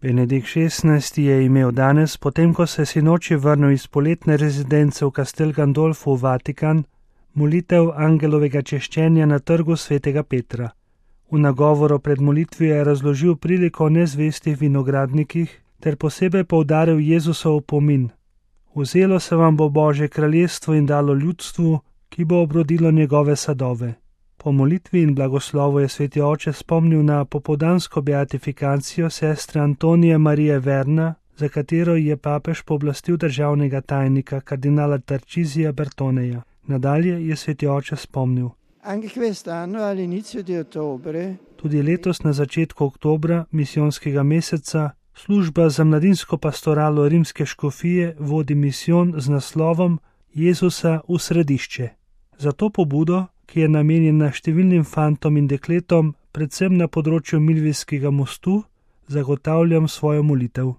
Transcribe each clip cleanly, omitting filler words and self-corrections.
Benedikt XVI. Je imel danes, potem ko se je sinoči vrnil iz poletne rezidence v Castel Gandolfo v Vatikan, molitev angelovega češčenja na trgu svetega Petra. V nagovoru pred molitvijo je razložil priliko o nezvestih vinogradnikih ter posebej poudaril Jezusov opomin. Vzelo se vam bo Božje kraljestvo in dalo ljudstvu, ki bo obrodilo njegove sadove. Po molitvi in blagoslovu je sveti oče spomnil na popoldansko beatifikacijo sestre Antonije Marije Verna, za katero je papež pooblastil državnega tajnika kardinala Tarcisija Bertoneja. Nadalje je sveti oče spomnil. Tudi letos na začetku oktobra, misijonskega meseca, služba za mladinsko pastoralo rimske škofije vodi misijon z naslovom Jezusa v središče. Za to pobudo, ki je namenjena številnim fantom in dekletom, predvsem na področju Milvijskega mostu, zagotavljam svojo molitev.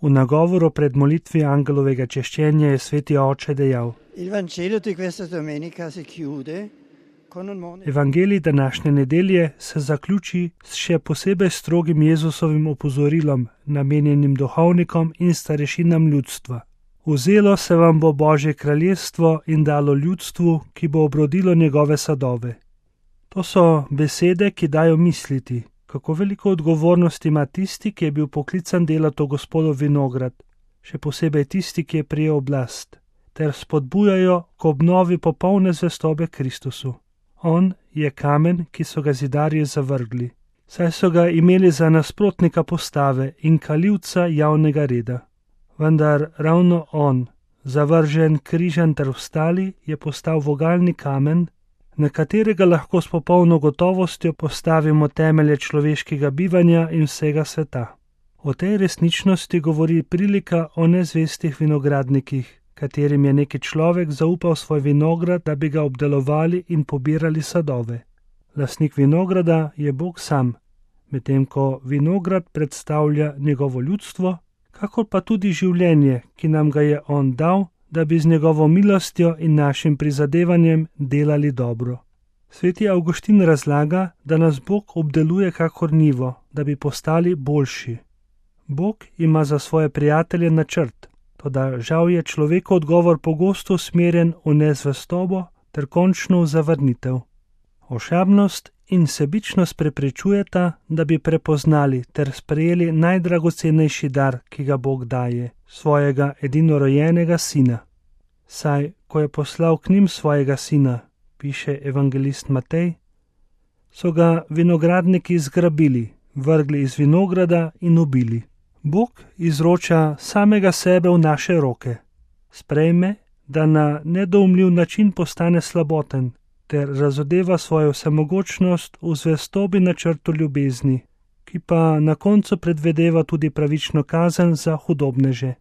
V nagovoru pred molitvijo angelovega češčenja je sveti oče dejal: Evangelij današnje nedelje se zaključi s še posebej strogim Jezusovim opozorilom, namenjenim duhovnikom in starešinam ljudstva. Vzelo se vam bo Božje kraljestvo in dalo ljudstvu, ki bo obrodilo njegove sadove. To so besede, ki dajo misliti, kako veliko odgovornost ima tisti, ki je bil poklican delati v Gospodov vinograd, še posebej tisti, ki je prijel oblast, ter spodbujajo k obnovi popolne zvestobe Kristusu. On je kamen, ki so ga zidarji zavrgli, saj so ga imeli za nasprotnika postave in kalivca javnega reda. Vendar ravno on, zavržen, križan ter ostali, je postal vogalni kamen, na katerega lahko s popolno gotovostjo postavimo temelje človeškega bivanja in vsega sveta. O tej resničnosti govori prilika o nezvestih vinogradnikih, katerim je neki človek zaupal svoj vinograd, da bi ga obdelovali in pobirali sadove. Lastnik vinograda je Bog sam, medtem ko vinograd predstavlja njegovo ljudstvo, kakor pa tudi življenje, ki nam ga je on dal, da bi z njegovo milostjo in našim prizadevanjem delali dobro. Sveti Avguštin razlaga, da nas Bog obdeluje kakor njivo, da bi postali boljši. Bog ima za svoje prijatelje načrt, toda žal je človekov odgovor pogosto usmerjen v nezvestobo ter končno v zavrnitev. Ošabnost in sebičnost preprečujeta, da bi prepoznali ter sprejeli najdragocenejši dar, ki ga Bog daje, svojega edinorojenega sina. Saj, ko je poslal k njim svojega sina, piše evangelist Matej, so ga vinogradniki zgrabili, vrgli iz vinograda in ubili. Bog izroča samega sebe v naše roke. Sprejme, da na nedoumljiv način postane slaboten, ter razodeva svojo vsemogočnost v zvestobi načrtu ljubezni, ki pa na koncu predvedeva tudi pravično kazen za hudobneže.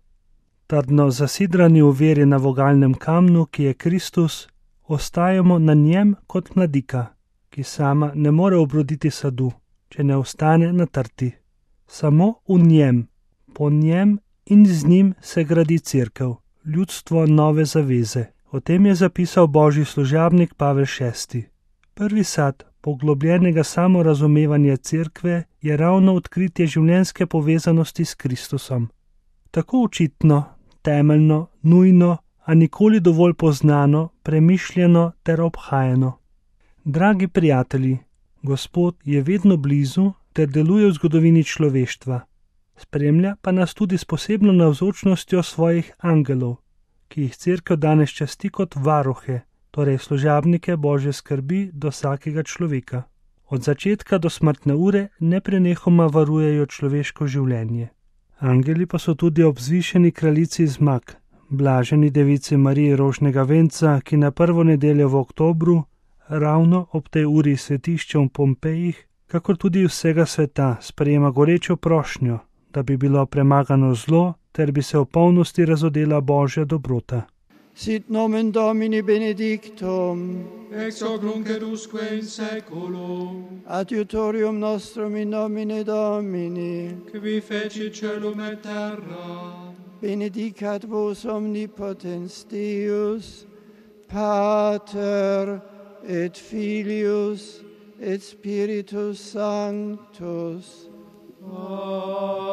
Trdno zasidrani v veri na vogalnem kamnu, ki je Kristus, ostajamo na njem kot mladika, ki sama ne more obroditi sadu, če ne ostane na trti. Samo v njem, po njem in z njim se gradi cerkev, ljudstvo nove zaveze. O tem je zapisal božji služabnik Pavel VI. Prvi sad poglobljenega samorazumevanja cerkve je ravno odkritje življenjske povezanosti s Kristusom. Tako očitno, temeljno, nujno, a nikoli dovolj poznano, premišljeno ter obhajeno. Dragi prijatelji, Gospod je vedno blizu ter deluje v zgodovini človeštva. Spremlja pa nas tudi s posebno navzočnostjo svojih angelov, ki jih cerkev danes časti kot varuhe, torej služabnike Božje skrbi do vsakega človeka. Od začetka do smrtne ure neprenehoma varujejo človeško življenje. Angeli pa so tudi ob vzvišeni kraljici zmag, blaženi devici Mariji rožnega venca, ki na prvo nedeljo v oktobru, ravno ob tej uri svetišča v Pompejih, kakor tudi vsega sveta, sprejema gorečo prošnjo, da bi bilo premagano zlo, ter bi se v polnosti razodela Božja dobrota. Sit nomen Domini benedictum, ex hoc nunc et usque in saeculum, adiutorium nostrum in nomine Domini, qui fecit caelum et terra, benedicat vos omnipotens Deus, Pater et Filius et Spiritus Sanctus. Amen.